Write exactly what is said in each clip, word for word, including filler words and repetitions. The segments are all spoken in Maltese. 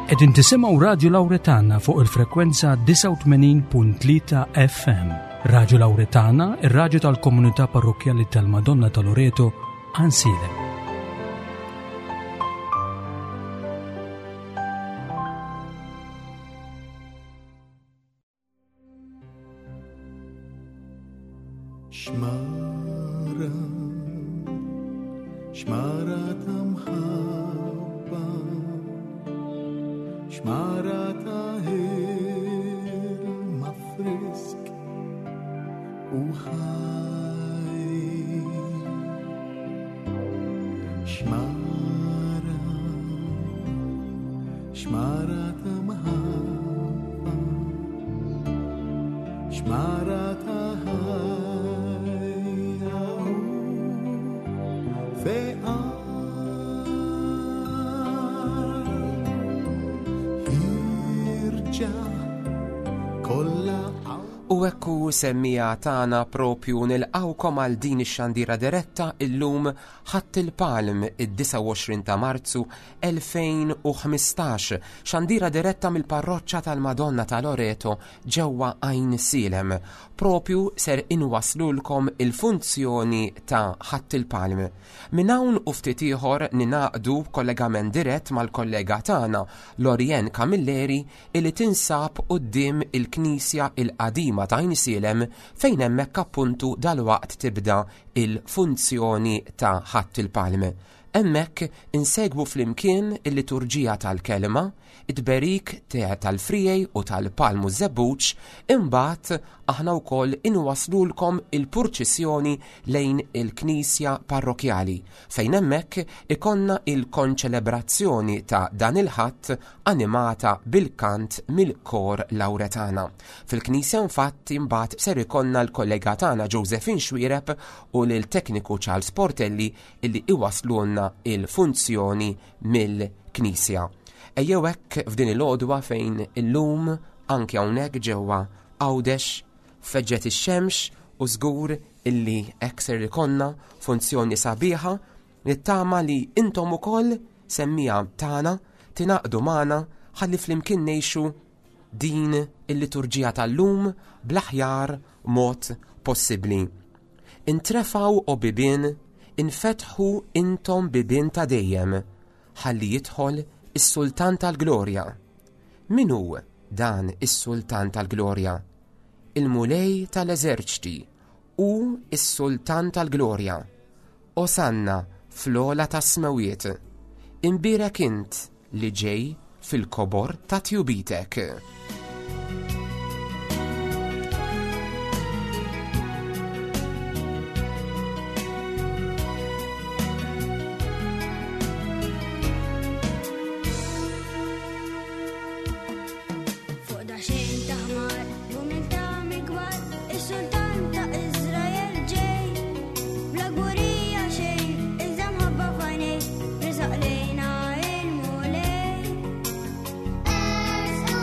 Qegħdin tisimgħu Radio Lauretana fuq il-frekwenza disgħa u tmenin punt tlieta F M. Radio Lauretana, ir-radju tal-Komunità Parrokkjali tal-Madonna ta' Loreto, Għajnsielem. Xmara, xmara ta' mħabba, xmara ta' ilma frisk u ħaj. Xmara, xmara ta' mħabba, xmara ta' ħajja u fejqan. Ħierġa kollha. U ekku, semmiegħa tagħna, propju nilqgħukom għal din ix-xandira diretta illum, Ħadd il-Palm, id-disgħa u għoxrin ta' Marzu elfejn u ħmistax, xandira diretta mill-parroċċa tal-Madonna ta' Loreto ġewwa Għajnsielem. Propju ser inwaslulkom il-funzjoni ta' Ħadd il-Palm. Minn hawn u ftit ieħor ningħaqdu kollegament dirett mal-kollega tagħna Lorien Camilleri, illi tinsab quddiem il-Knisja il-qadima ta' Għajnsielem, fejn hemmhekk appuntu dalwaqt tibda il-funzjoni ta' Ħadd il-Palm. Hemmhekk insegwu flimkien il-liturġija tal-kelma, it-tberik tal-friegħi u tal-palmu żebbuġ, imbagħad aħna wkoll inwaslulkom il-purċissjoni lejn il-Knisja Parrokjali, fejn hemmhekk ikollna il-konċelebrazzjoni ta' dan il-Ħadd animata bil-kant mill-Kor Lauretana. Fil-Knisja infatti imbagħad ser ikollna l-kollega tagħna Josephine Xuereb u l-tekniku Charles Portelli illi iwaslulna il-funzjoni mill-Knisja. Ejjew hekk f'din il-għodwa fejn illum anke hawnhekk ġewwa Għawdex feġġet ix-xemx u żgur illi hekk ser ikollna funzjoni sabiħa. Nittama li intom ukoll, semmiegħa tagħna, tingħaqdu magħna ħalli flimkien ngħixu din il-liturġija tal-lum bl-aħjar mod possibbli. Intrefgħu, o bibien, infetħu intom bibien ta' dejjem, ħalli jidħol is-Sultan tal-Glorja. Min hu dan is-Sultan tal-Glorja? Il-Mulej tal-Eżerċti u is-Sultan tal-Glorja. Osanna fl-ogħla tas-smewiet. Imbierek int li ġej fil-kobor ta' tjubitek. Fuq daxxejn ta' ħmar, b'umiltà mill-kbar, is-sultan ta' Iżrael ġej. Bla kburija xejn, iżda mħabba f'għajnejh, resaq lejna il-Mulej. Ersqu.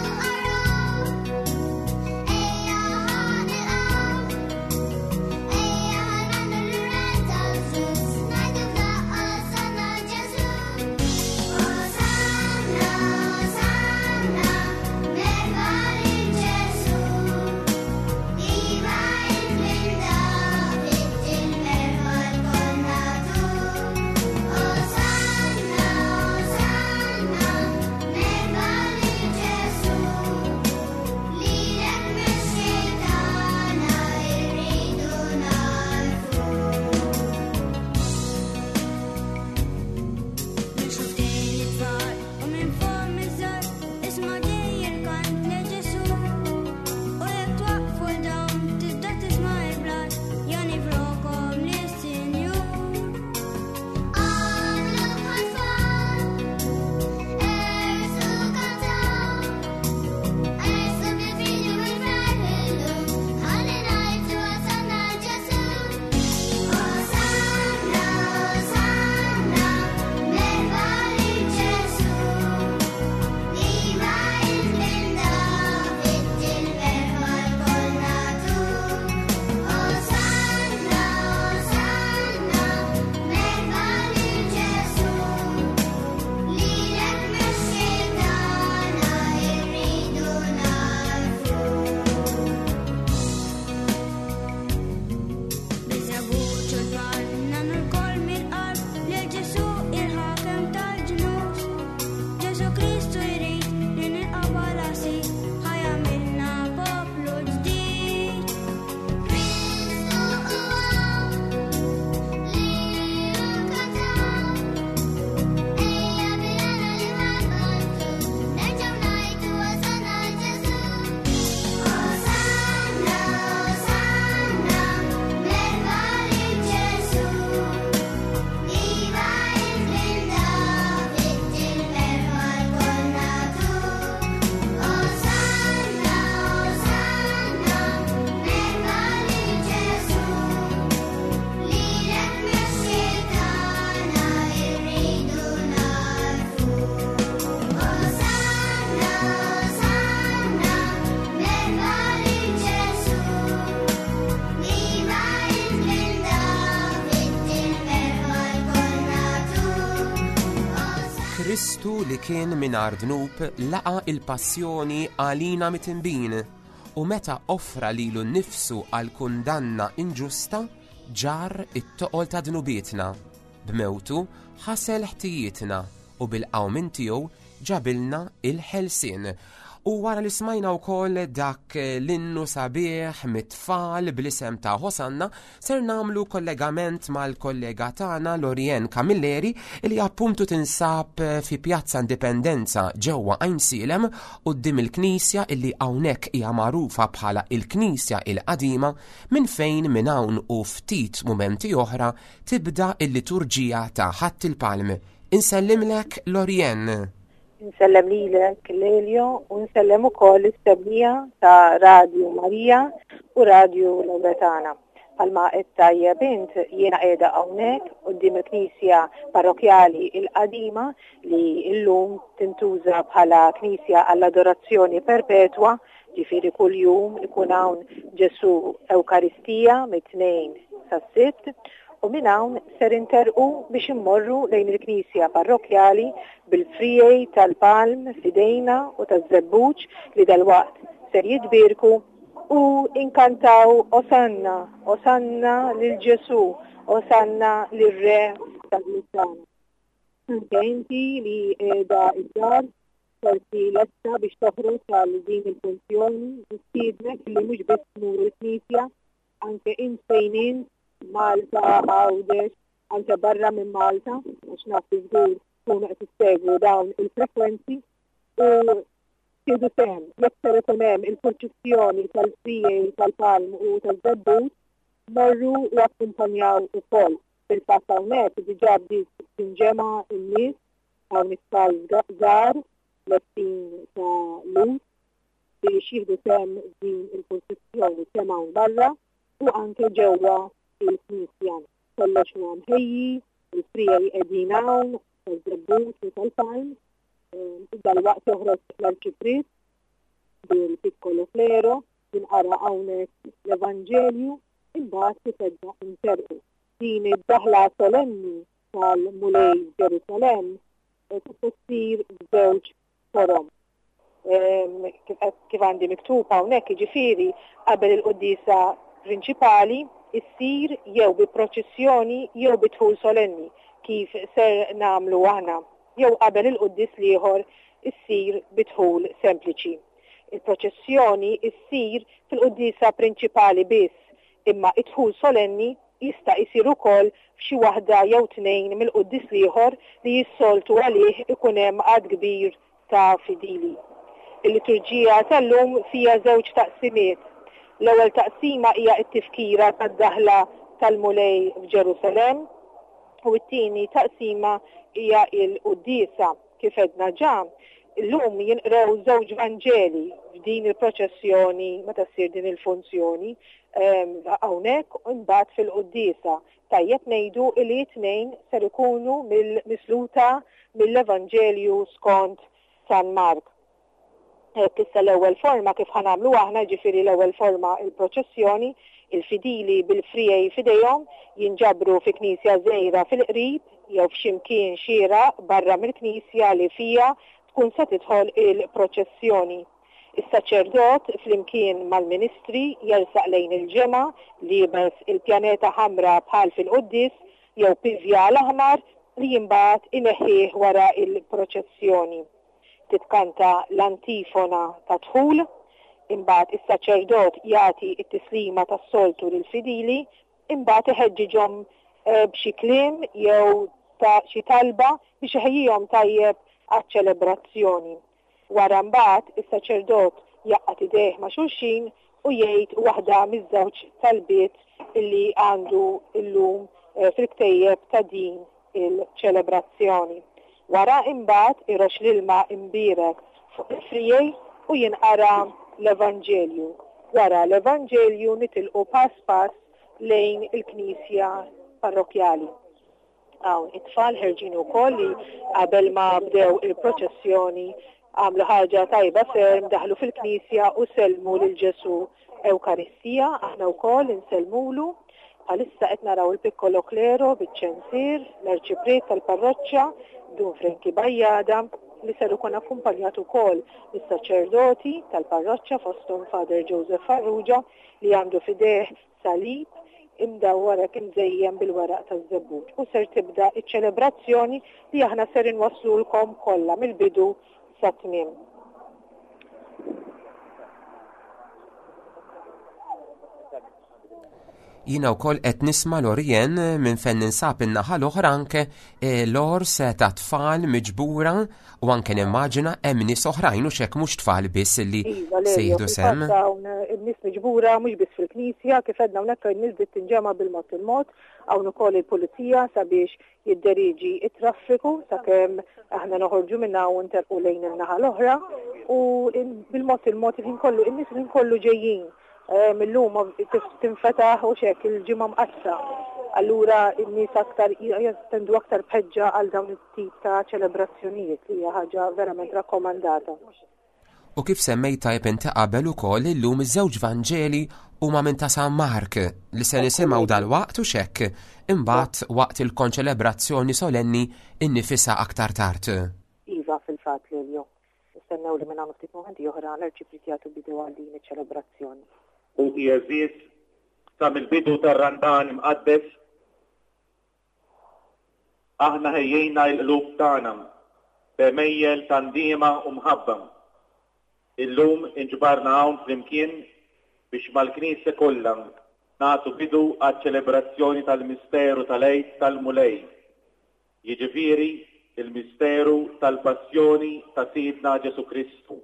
Kristu li kien mingħajr dnub laqa il-passjoni għalina midinbin u meta offra lilu nnifsu għal kundanna inġusta ġarr it-toqol ta' dnubietna. B'mewtu ħasel ħtijietna u bil-qawmien tiegħu ġabilna il-ħelsien. U wara li smajna wkoll dak l-innu sabiħ mit-tfal bl-isem ta' Hosanna, ser nagħmlu kollegament mal-kollega tagħna Lorien Camilleri li appuntu tinsab fi Pjazza Indipendenza ġewwa Għajnsielem quddiem il-Knisja illi hawnhekk hija magħrufa bħala il-Knisja il-Qadima minn fejn minn hawn u ftit mumenti oħra tibda il-liturġija ta' Ħadd il-Palm. Insellimlek Lorien. Insellem lilek Lelio u nsellem ukoll is-semmiegħa ta' Radio Marija u Radio Lawretana. Bħalma għedt tajjeb int jiena qiegħda hawnhekk quddiem il-Knisja Parrokjali il-Qadima li llum tintuża bħala Knisja għall-Adorazzjoni Perpetwa, ġifieri kuljum ikun hawn Ġesu Ewkaristija mit-tnejn sas-sitt, u minn hawn ser interqu biex immorru lejn il-Knisja Parrokjali bil-friegħi tal-palm f'idejna u taż-żebbuġ li dalwaqt ser jitbierku u inkantaw Osanna, Osanna lil Ġesu, Osanna lir-Re tal-Lusana. Anke inti li qiegħda id-dar forsi lesta biex toħroġ għal din il-funzjoni, nistiednek li mhux biss tmur il-Knisja, anke int fejn int, Malta, Għawdex, anke barra minn Malta, għax naf li żgur tkunu qed issegwu dawn il-frekwenzi u tieħdu sehem. Jekk ser ikun hemm il-purċissjoni tal-friegħi tal-palm u tal-żebbuġ, morru u akkumpanjaw ukoll. Fil-fatt hawnhekk diġà bdiet tinġema' n-nies, hawn it-tfal żgħar lestin ta' lus biex jieħdu sehem din il-purċissjoni kemm hawn barra u anke ġewwa il-Knisja. Kollox huwa mħejji, il-friegħi qegħdin hawn, tal-żebbuġ u tal-palm. Dalwaqt joħroġ l-arċipriet bil-piccolo clero, jinqara hawnhekk l-Evanġelju, imbagħad tibda interqu. Din id-daħla solenni tal-Mulej Ġerusalemm tista' ssir b'żewġ forom. Kif għandi miktub hawnhekk, jiġifieri qabel il-quddiesa prinċipali issir jew bi proċessjoni jew bi dħul solenni kif ser nagħmlu aħna, jew qabel il-quddies l-ieħor issir bi dħul sempliċi. Il-proċessjoni issir fil-quddiesa prinċipali biss, imma id-dħul solenni jista' jsir ukoll f'xi waħda jew tnejn mill-quddies l-ieħor li jissoltu għalih ikun hemm għadd kbir ta' fidili. Il-liturġija tal-lum fija żewġ taqsimiet. L-ewwel taqsima hija t-tifkira tad-daħla tal-Mulej f'Ġerusalemm u t-tieni taqsima hija l-quddiesa. Kif għedna ġa, illum jinqraw żewġ Vanġeli f'din il-proċessjoni meta ssir din il-funzjoni hawnhekk u mbagħad fil-quddiesa. Tajjeb ngħidu li t-tnejn ser ikunu mill-misluta mill-Evanġelju skont San Mark. Issa l-ewwel forma kif ħanamlu aħna, ġifieri l-ewwel forma il-proċessjoni, il-fidili bil-friegħi f'idejhom jinġabru fi knisja żgħira fil-qrib jew f'xi mkien xieraq barra mill-knisja li fija tkun se tidħol il-proċessjoni. Is-saċerdot flimkien mal-ministri jersaq lejn il-ġemgħa liebes il-pjaneta ħamra bħal fil-quddies jew pivjal aħmar li jimbagħad ineħħih wara il-proċessjoni. Titkanta l-antifona ta' dħul, imbagħad is-saċerdot jagħti t-tislima tas-soltu lill-fidili, imbagħad iħeġġiġhom b'xi kliem jew ta' xi talba biex iħejjihom tajjeb għaċ-ċelebrazzjoni. Wara mbagħad is-saċerdot jaqgħad idejh ma' xulxin u jgħid waħda miż-żewġ talbiet illi għandu illum fil-ktejjeb ta' din il-ċelebrazzjoni. Wara imbagħad irox l-ilma imbierek fuq il-friegħi u jinqara l-Evanġelju. Wara l-Evanġelju nitilqu pass pass lejn il-Knisja Parrokjali. Hawn it-tfal ħerġin ukoll li qabel ma bdew il-proċessjoni għamlu ħaġa tajba ferm, daħlu fil-Knisja u sellmu lil Ġesu Ewkaristija, aħna wkoll insellmulu. Bħalissa qed naraw il-piccolo clero biċ-ċensir, l-arċipriet tal-parroċċa Dun Frenki Bajjada, li ser ikun akkumpanjat ukoll mis-saċerdoti tal-parroċċa fosthom Father Joseph Farrugia li għandu f'idejh salib imdawwar hekk imżejjen bil-weraq taż-żebbuġ u ser tibda iċ-ċelebrazzjoni li aħna ser inwasslulkom kollha mill-bidu sat-tmiem. Jiena wkoll qed nisma' Lorien minn fejn ninsab in-naħa l-oħra anke l-ors ta' tfal miġbura u anke nimmaġina hemm nies oħrajn u x'hekk mhux tfal biss li Iva, se Lelio, jieħdu sehem. fil-fatt hawn in-nies miġbura mhux biss fil-knisja, kif għedna hawnhekk in-nies bdiet tinġema' bil-mod il-mod, hawn ukoll il-pulizija sabiex jidderiġi it-traffiku sakemm aħna noħorġu minn hawn u nterqu lejn in-naħa l-oħra u bil-mod il-mod il-ħin kollu in-nies il-ħin kollu ġejjin. Millum tinfetaħ u xek il-ġimgħa mqaddsa. Allura n-nies aktar jattendu aktar b'ħeġġa għal dawn it-tip ta' ċelebrazzjonijiet li hija ħaġa verament rakkomandata. U kif semmejt tajjeb inti qabel ukoll illum iż-żewġ Vanġeli huma minn ta' San Mark li se nisimgħu dalwaqt u xekk imbagħad waqt il-konċelebrazzjoni solenni innifisha aktar tard. Iva, fil-fatt Lelio. Nistennew li minn hawn ftit mumenti oħra l-arċipriet jagħtu bidu għal din iċ-ċelebrazzjoni. Ħuti għeżież, sa mill-bidu tar-Randan imqaddes, aħna ħejjejna l-qlub tagħna b'għemejjel ta' ndiema u mħabba. Illum inġbarna hawn flimkien biex mal-Knisja kollha nagħtu bidu għaċ-ċelebrazzjoni tal-misteru tal-Għid tal-Mulej, jiġifieri il-misteru tal-passjoni ta' Sidna Ġesu Kristu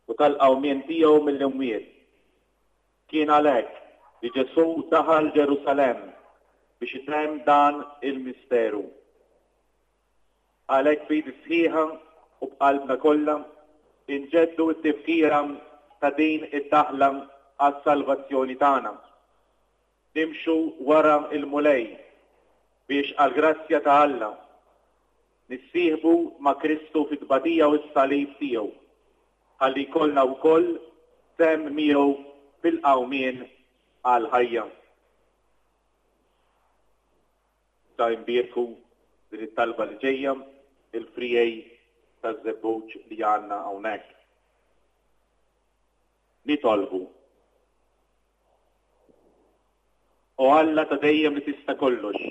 u tal-qawmien tiegħu mill-imwiet. Kien għalhekk li Ġesu daħal Ġerusalemm biex itemm dan il-misteru. Għalhekk b'idi sħiħa u b'qalbna kollha inġeddu t-tifkira ta' din id-daħla għas-salvazzjoni tagħna. Nimxu wara il-Mulej biex għall-grazzja ta' Alla nissieħbu ma' Kristu fit-tbatija u s-salib tiegħu, ħalli jkollna wkoll sehem miegħu fil-qawmien għal-ħajja. Ta' imbierku din it-talba li ġejja il-frijej taż-żebbuġ li għandna hawnhekk. Nitolbu. O Alla ta' dejjem li tista' kollox,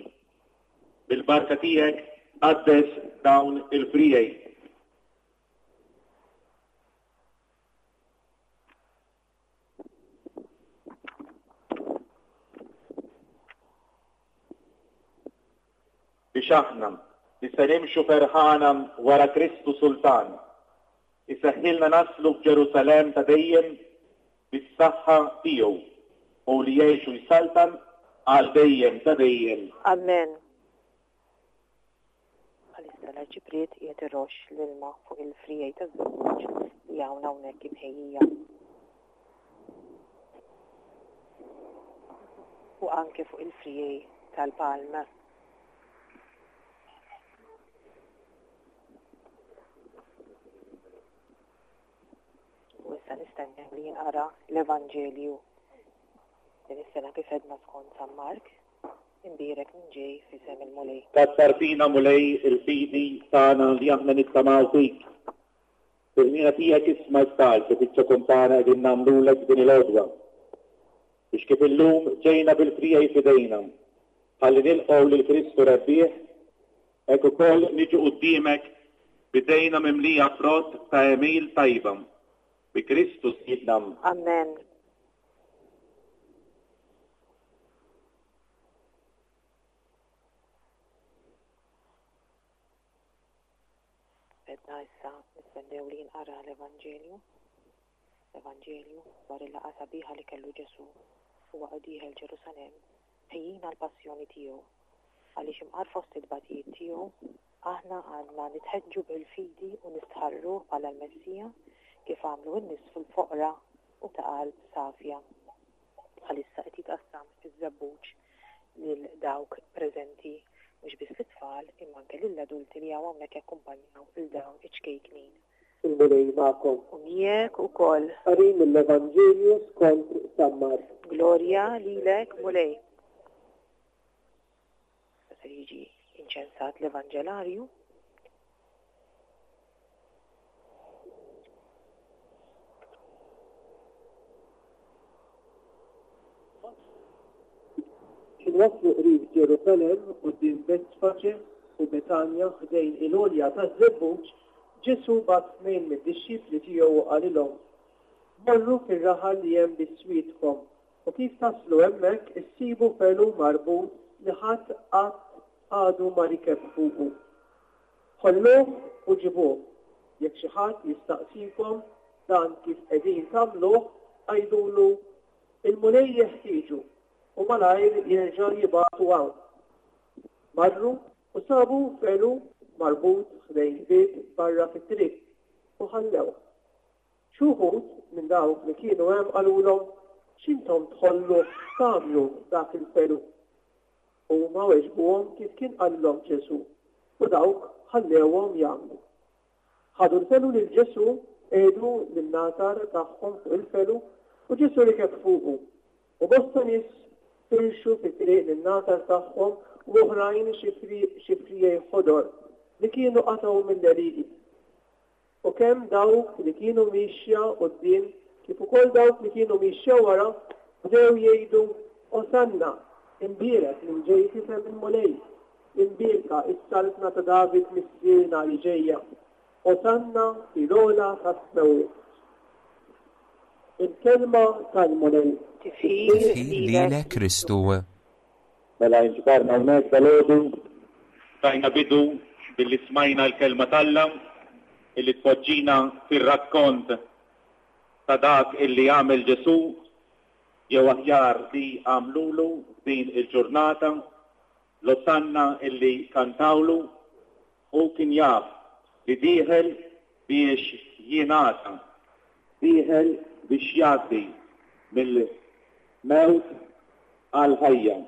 bil-barka tiegħek qaddes dawn il-frijej. Biex aħna li se nimxu ferħana wara Kristu Sultan, iseħħilna naslu f'Ġerusalemm ta' dejjem bis-saħħa tiegħu u li jgħixu jsaltan għal dejjem ta' dejjem. Amen. Bħalissa l-arċipriet qiegħed iroxx l-ilma fuq il-frijej taż-żebbuġ li hawn hawnhekk imħejjija. U anke fuq il-frijej tal-palma. U issa nistennew li jinqara l-Evanġelju din is-sena kif għedna skont San Mark, imbierek minn ġej f'isem il-Mulej. Kattar fina Mulej il-fidi tagħna li aħna nittamaw fik. Fil-ħina tiegħek isma' t-talb li fiċ-ċokon tagħna qegħdin nagħmlulek din il-għodwa. Biex kif illum ġejna bil-frijej f'idejna, ħalli nilqgħu lil Kristu rebbieħ, hekk ukoll niġu quddiemek b'idejna mimlija frott ta' għemil tajba. Bi Kristu Sidna. Amen. Edna issa nistennew li jinqara l-Evanġelju. L-Evanġelju dwar il-laqgħa sabiħa li kellu Ġesu u waqgħu dieħel Ġerusalemm, ħejjina l-passjoni tiegħu. Għaliex imqar fost it-tbatijiet tiegħu, aħna għandna nitħeġġu bil-fidi u nistħarruh bħala l-Messija kif għamlu n-nies fil-foqra u ta' qalb safja. Bħalissa qed jitqassam iż-żebbuġ lil dawk preżenti, mhux biss lit-tfal imma anke lill-adulti li hawn hawnhekk jakkumpanjaw lil dawn iċ-ċkejknin. Il-Mulej magħkom. U miegħek ukoll. Qari mill-Evanġelju skont San Mark. Glorja lilek Mulej. Se jiġi inċensat l-Evanġelarju. waslu qrib Ġerusalemm quddiem Betfaġe u Betanja ħdejn il-għolja taż-Żebbuġ, Ġesù bagħat tnejn mid-dixxipli tiegħu u qalilhom: Morru fir-raħal li hemm biswitkom u kif taslu hemmhekk issibu felu marbut li ħadd qatt għadu ma rikeb fuqu. Ħolluh u ġibuh. Jekk xi ħadd jistaqsikom dan kif qegħdin tagħmluh, għidulu il-Mulej jeħtieġu u malajr jerġa' jibagħtu hawn. Marru u sabu felu marbut ħdejn bieb barra fit-triq u ħallewh. Xi wħud minn dawk li kienu hemm qalulhom x'intom tħollu tagħmlu dak il-felu. Huma weġbuhom kif kien qalilhom Ġesù u dawk ħallewhom jagħmlu. Ħadu l-felu lil Ġesù, qiegħdu l-imnatar tagħhom fuq il-felu u Ġesù rikeb fuqu. U bosta nies firxu fit-triq l-imnatar tagħhom u oħrajn xi friegħi ħodor li kienu qatgħu mill-għelieqi. U kemm dawk li kienu mixja quddiem kif ukoll dawk li kienu mixja wara bdew jgħidu Osanna, imbierek min ġej f'isem il-Mulej, imbierka is-saltna ta' David missierna li ġejja. Osanna fil-ogħla tas-smewwiet. Il-kelma tal-Mulej. Tifħir Tifħir lilek Kristu. Mela inġbarna hawnhekk dalgħodu, tajna bidu billi smajna l-kelma t'Alla illi tpoġġina fir-rakkont ta' dak illi għamel Ġesù jew aħjar li għamlulu f'din il-ġurnata, l-Osanna illi kantawlu, u kien jaf li dieħel biex jingħata, dieħel biex jgħaddi mill-mewt għal-ħajja.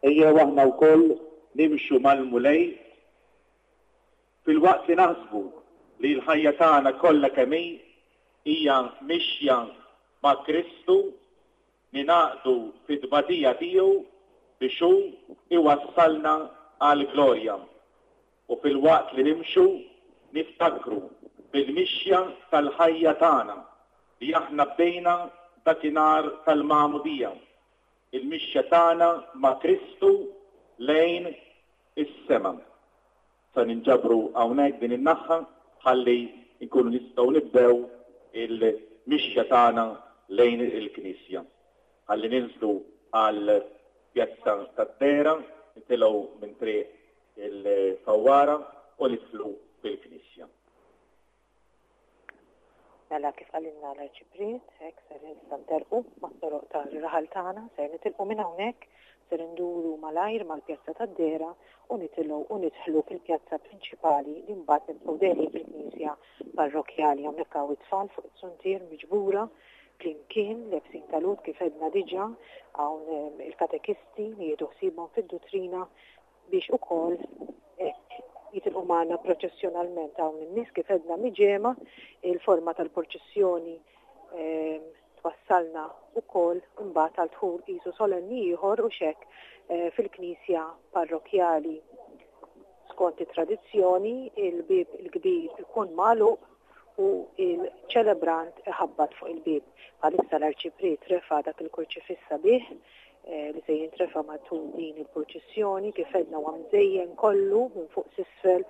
Ejjew aħna wkoll nimxu mal-Mulej filwaqt li naħsbu li l-ħajja tagħna kollha kemm hi hija mixja ma' Kristu, ningħaqdu fit-tbatija tiegħu biex hu iwassalna għall-glorja. U filwaqt li nimxu niftakru bil-mixja tal-ħajja tagħna li aħna bdejna dakinhar tal-magħmudija, il-mixja tagħna ma' Kristu lejn is-sema. Sa ninġabru hawnhekk din in-naħa ħalli nkunu nistgħu nibdew il-mixja tagħna lejn il-Knisja. Ħalli ninżlu għal pjazza tad-Dehra, nitilgħu minn triq il-Fawwara u nidħlu fil-Knisja. Mela kif qalilna l-Arċipriet, hekk ser issa nterqu mat-toroq tar-raħal tagħna, ser nitilqu minn hawnhekk, ser induru malajr mal-pjazza tad-Dehra u nitilgħu u nidħlu fil-pjazza prinċipali li mbagħad nibqgħu deħlin fil-knisja parrokkjali. Hawnhekk hawn it-tfal fuq it-suntier miġbura flimkien lebsin talut kif għedna diġà, hawn, ehm, il-katekisti li jieħdu ħsiebhom fid-duttrina biex ukoll hekk jitilqu magħna proċessjonalment. Hawn in-nies kif għedna miġema, il-forma tal-proċessjoni, ehm, twassalna ukoll imbagħad għal dħul qisu solenni ieħor u xek, eh, fil-knisja parrokkjali. Skont it-tradizzjoni, il-bieb il-kbir ikun magħluq u il-ċelebrant iħabbat fuq il-bieb. Bħalissa l-Arċipriet refa' dak il-kurċifiss sabiħ, eh, li se jintrefa' matul din il-purċissjoni, kif għedna huwa mżejjen kollu minn fuq s'isfel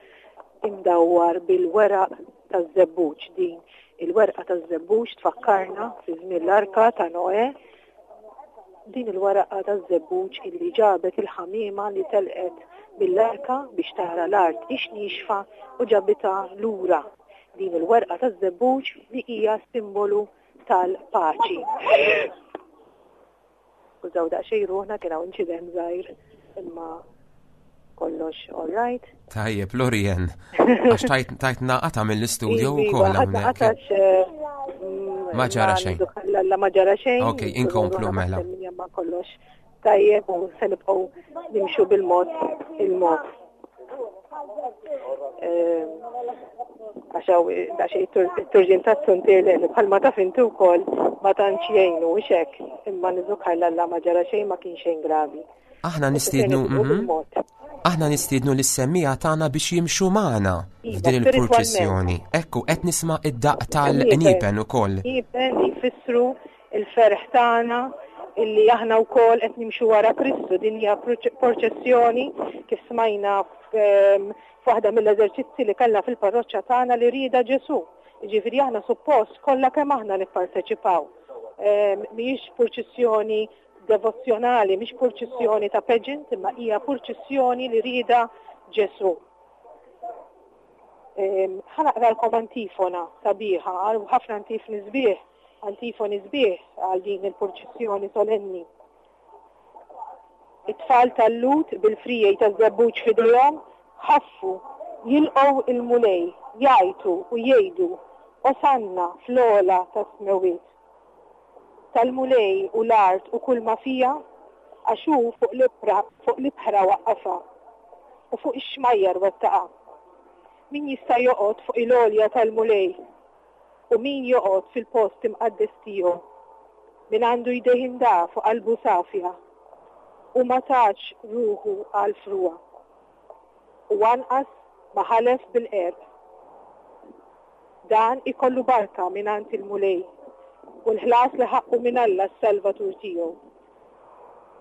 imdawwar bil-weraq taż-żebbuġ. Din il-werqa taż-żebbuġ tfakkarna fi żmien l-arka ta' Noè, din il-waraqa taż-żebbuġ illi ġabet il-ħamiema li telqet mill-arka biex tara l-art ix nixfa u ġabitha lura. Din il-werqa taż-żebbuġ li hija simbolu tal-paċi. Użaw daqsxejn ruħna, kien hawn inċident żgħir, imma kollox all right. Tajjeb, Lorien, għax tajt, tajtna qata mill-istudio Iva, wkoll ħadna hawnhekk. qatax, eh, mm, Ma ġara ma xejn. nidu la, la ma ġara xejn. Ok, inkomplu Ruħna mela. maħseb minja ma kollox tajjeb u se nibqgħu nimxu bil-mod il-mod. Ehm, għax hawn daqsxejn it-turġien tas-suntier li bħalma taf inti wkoll ma tantx jgħinu u xek, imma niżukar l-Alla ma ġara xejn, ma kien xejn gravi. Aħna nistiednu, Se nibqgħu mhm. bil-mod. Aħna nistiednu lis-semmiegħa tagħna biex jimxu magħna Iva, f'din il-purċissjoni. Ekku, qed nisma' id-daqq tal-qniepen ukoll. Qniepen li jfissru il-ferħ tagħna illi aħna wkoll qed nimxu wara Kristu. Din hija purċissjoni kif smajna f'waħda mill-eżerċizzi li kellna fil-parroċċa tagħna li rieda Ġesù. Jiġifieri aħna suppost kollha kemm aħna nipparteċipaw. Mhijiex purċissjoni devozzjonali, mhix purċissjoni ta' pageant, imma hija purċissjoni li rieda Ġesù. Ħa naqralkom antifona sabiħa, ħafna antifoni sbieħ, antifoni sbieħ għal din il-purċissjoni solenni. It-tfal tal-Lhud bil-friegħi taż-żebbuġ f'idejhom ħaffu jilqgħu il-Mulej, jgħajtu u jgħidu Osanna fl-ogħla tas-smewwiet. Tal-Mulej u l-art u kull ma fija, għax hu fuq l-ibħra fuq l-ibħra waqqafha u fuq ix-xmajjar wettaqha. Min jista' joqgħod fuq il-għolja tal-Mulej u min joqgħod fil-post imqaddes tiegħu? Min għandu jdejh indaf u qalbu safja u ma tax ruħu għal frugħa u anqas ma ħalef bil-qerq. Dan ikollu barka mingħand il-Mulej u l-ħlas li ħaqqu minn Alla s-Salvatur tiegħu.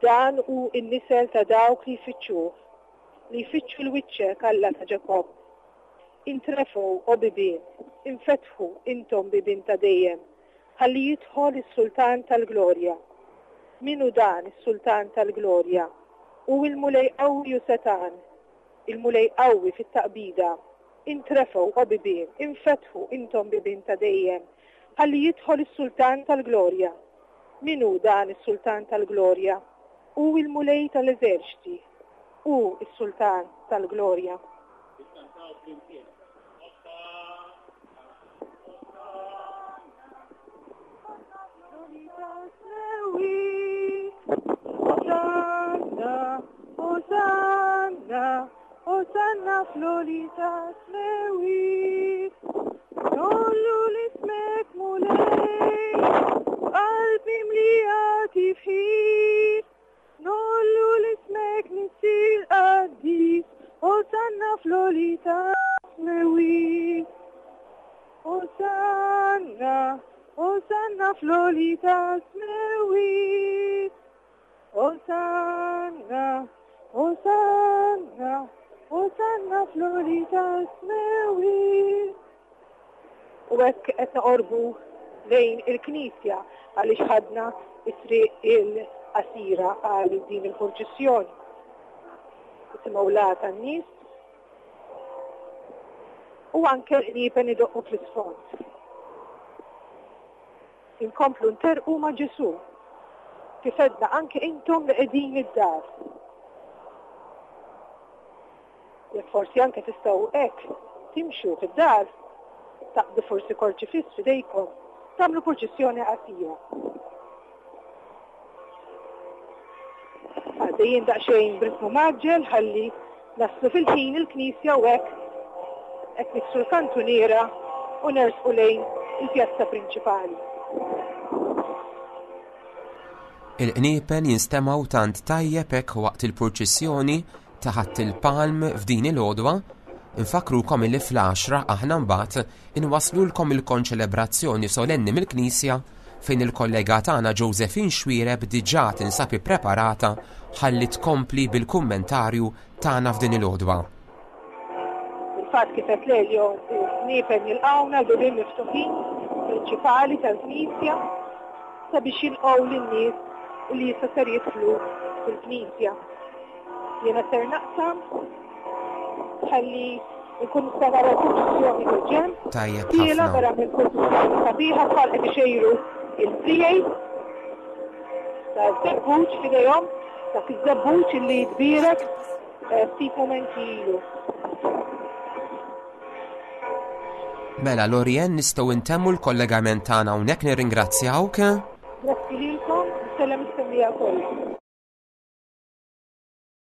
Dan hu n-nisel ta' dawk li jfittxuh, li jfittxu l-wiċċek Alla ta' Ġakobb. Intrefgħu o bibien, infetħu intom bibien ta' dejjem, ħalli jidħol is-Sultan tal-Glorja. Min hu dan is-Sultan tal-Glorja? Hu il-Mulej qawwi u setgħan, il-Mulej qawwi fit-taqbida. Intrefgħu o bibien, infetħu intom bibien ta' dejjem, ħalli jidħol is-Sultan tal-Glorja. Min hu dan is-Sultan tal-Glorja? Hu il-Mulej tal-Eżerċti, hu is-Sultan tal-Glorja. Osanna, Osanna, Osanna fl-għoli tas-smewwiet. Nollu l-ismek Mulej, qalbi mlija tifħir. Nollu l-ismek Missier qaddis, Osanna fl-għoli tas-smewwiet. Osanna, Osanna fl-għoli tas-smewwiet. Osanna, Osanna, Osanna fl-għoli tas-smewwiet. U hekk qed noqorbu lejn il-Knisja għaliex ħadna it-triq il-qasira għal din il-purċissjoni. Isimgħu l-għata tan-nies u anke l-qniepen idoqqu fl-isfond. Inkomplu nterqu ma' Ġesù, kif għedna anke intom li qegħdin id-dar. Jekk forsi anke tistgħu hekk timxu fid-dar, taqbdu forsi korċifiss f'idejkom, tagħmlu purċissjoni qasira. Għaddejjin daqsxejn b'ritmu maġġel ħalli naslu fil-ħin il-Knisja u hekk qed niksru l-kantuniera u nersqu lejn il-pjazza prinċipali. Il-qniepen jinstemgħu tant tajjeb hekk waqt il-purċissjoni ta' Ħadd il-Palm f'din il-għodwa. Infakrukom illi fl-għaxra aħna mbagħad inwaslulkom il-konċelebrazzjoni solenni mill-Knisja fejn il-kollega tagħna Josephine Xuereb diġà tinsab ippreparata ħalli tkompli bil-kummentarju tagħna f'din il-għodwa. Il-fatt kif qed Lelio qniepen jilqgħuna l-bibien miftuħin prinċipali tal-Knisja sabiex jilqgħu lin-nies li issa ser jidħlu fil-Knisja. Jiena ser naqsam ħalli nkun nista' nara l-purċissjoni mill-ġenb. Tajjeb Tiela ħafna. vera mill-purċissjoni sabiħa tfal qed ixejru il-friegħi ta' żebbuġ f'idejhom, dak iż-żebbuġ illi jitbierek, eh, ftit mumenti ilu. Mela Lorien, nistgħu ntemmu l-kollegament tagħna hawnhekk, nirringrazzjawk. Grazzi lilkom, nsellem is-semmiegħa kollha.